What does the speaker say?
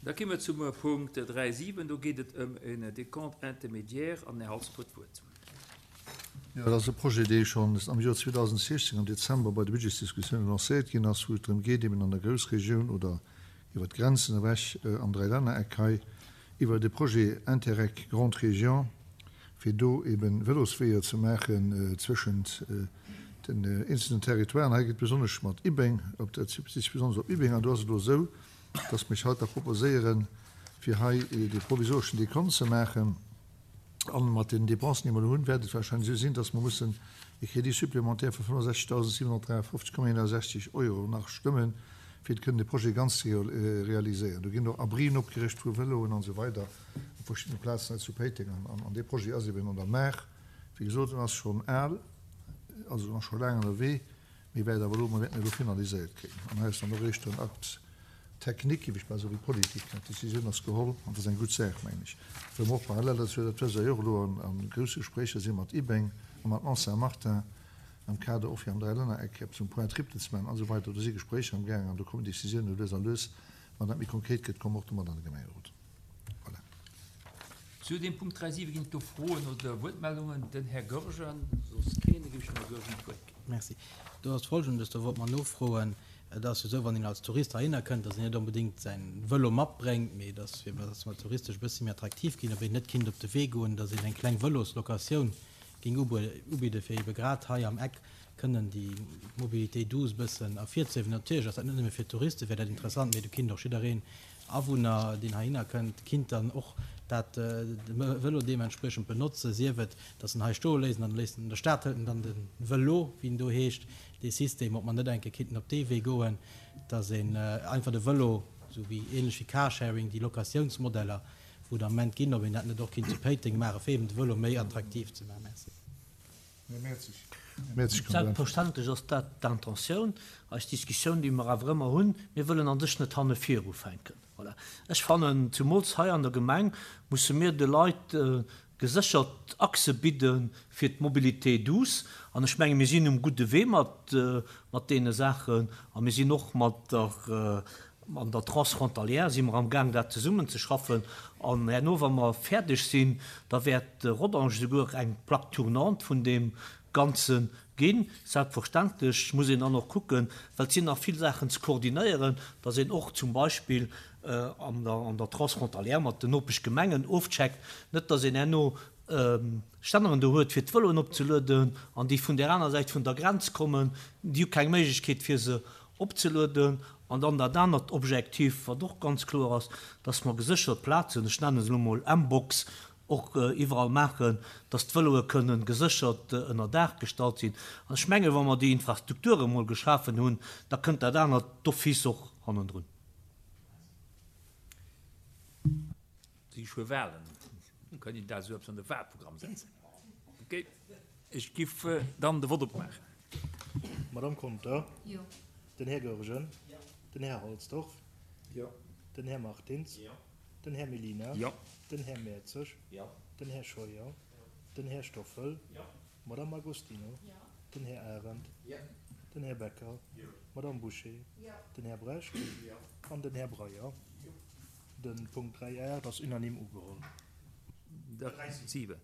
Da gi mer zum Punkt 3.7. Do geet et ëm en Décompte intermédiaire an den Här Halsdorf huet d'Wuert. Jo, dat ass e Projet, dee schonn am Joer 2016 am Dezember bei de Budgetsdiskussiounen lancéiert ginn ass, wou et drëm geet, eben an der Groussregioun oder iwwert d'Grenzen ewech am Dräilännereck hei iwwer de Projet Interreg Grande Région, fir do eben Vëlosweeër ze maachen zwëschent den eenzelnen Territoiren. Hei geet besonnesch mat Ibbeng, op dat bezitt sech besonnesch op Ibbeng. An do ass et elo esou, dass mer haut da proposéieren, fir hei dee provisoreschen Dekont ze maachen. An mat den Dépensen, déi mer elo hunn, wäert et wahrscheinlech esou sinn, dass mer mussen e Crédit supplémentaire vu 65.753,61 Euro nach stëmmen, fir kënnen de Projet ganz ze realiséieren. Do ginn och Abrien opgericht vu Vëloen an esou weider op verschiddene Plazen hei zu Péiteng. An dee Projet ass eben an der Maach. Wéi gesot, en ass schonn al, also en ass scho laang ënnerwee. Mee wäert awer elo, mer wäerten elo finaliséiert kréien. An hei ass dann och eréischt en Acte technique, géif ech bal soen, wéi Politik. D'Décisioun ass geholl an dat ass eng gutt Saach, mengen ech. Well mer och parallel dozou, dat wësst Der jo och, elo a grousse Gespréicher si mat Ibeng a mat Mont-Saint-Martin am Kader och fir am Dräilännereck eppes um Point Tripte ze maachen an esou weider. Do si Gespréicher amgaangen an do kommen Décisiounen lues a lues. Wann dat méi konkret gëtt, komme mer och domat an de Gemengerot. Voilà. Zu deem Punkt 3.7 ginn et do Froen oder Wuertmeldungen. Den Här Goergen, soss keen, da géif ech dem Här Goergen d'Wuert ginn. Merci. Do ass Folgendes, do wollt mer nofroen, Et ass jo esou, wann een als Tourist heihinner kënnt, datt een net onbedéngt säin Vëlo matbréngt, mee datt, fir datt mer touristesch e bëssi méi attraktiv ginn, ob een net kinnt op de Wee goen, datt een eng kleng Vëloslocatioun géing ubidden, fir ebe grad hei am Eck kënnen déi Mobilité douce e bëssen ervirzehiewen. Natierlech ass dat net nëmme fir d'Touriste wär dat interessant, mee do kinnt och jiddereen Awunner, deen heihinner kënnt, kinnt dann och dat de Vëlo deementspriechend benotzen, sief et, datt en hei stoe léisst an dann léisst en an der Stad, hëlt en dann de Vëlo, wéi en do heescht, dee System, ob mer net eng Kéier kinnten op dee Wee goen, datt een einfach de Vëlo, esou wéi ähnlech wéi Carsharing, déi Locatiounsmodeller, wou et am Moment ginn, ob een dat net och kinnt zu Péiteng maachen, fir eben de Vëlo méi attraktiv ze maachen. Merci. Selbstverständlech ass dat d'Intentioun. Eis Diskussioun, déi mer awer ëmmer hunn, mir wëllen a sech net hanne vir ufänken. Voilà. Ech fannen, zumools hei an der Gemeng musse mir de Leit geséchert Achse bidde fir d'Mobilité douce. An ech menge mir sinn um gudde Wee mat deene Saachen. A mir sinn och mat der An der Transfrontalière si mer am Gaang dat zesummen ze schaffen an herno wa mer fäerdeg sinn, da wäert Rodange souguer eng Plaque tournante vun deem Ganze ginn. Selbstverständlech muss een dann och kucken, well et sinn nach vill Saachen ze koordinéieren, datt een och zum Beispill an der Transfrontalière mat den Nopeschgemengen ofcheckt, net datt een herno Stänneren do huet fir d'Vëloen opzelueden an déi vun där aner Säit vun der Grenz kommen, déi hu keng Méiglechkeet fir se opzelueden. An dann dat anert Objektiv, wat och ganz kloer ass, dass mer geséchert Plazen, ech nenne se elo mol M-Box, och iwwerall maachen, dass d'Vëloe kënnen geséchert ënner Daach gestallt sinn. An ech mengen, wa mer déi Infrastrukture mol geschafen hunn, da kënnt dat anert d'office och hannendrun. Si schuer Wahlen, da kann een dat esou eppes an de Wahlprogramm setzen. Ok, ech giff dann de Vott opmaachen. D'Madame Conter. Jo. Den Här Goergen. Jo. Den Här Halsdorf. Jo. Den Här Martins. Jo. Den Här Mellina. Jo. Den Här Mertzig. Jo. Den Här Scheuer. Jo. Den Här Stoffel. Jo. D'Madame Agostino. Jo. Den Här Arendt. Jo. Den Här Becker. Jo. D'Madame Bouché. Jo. Den Här Brecht. Jo. An den Här Breyer. Jo. De Punkt 3 8 ass unanime ugeholl. 3 7.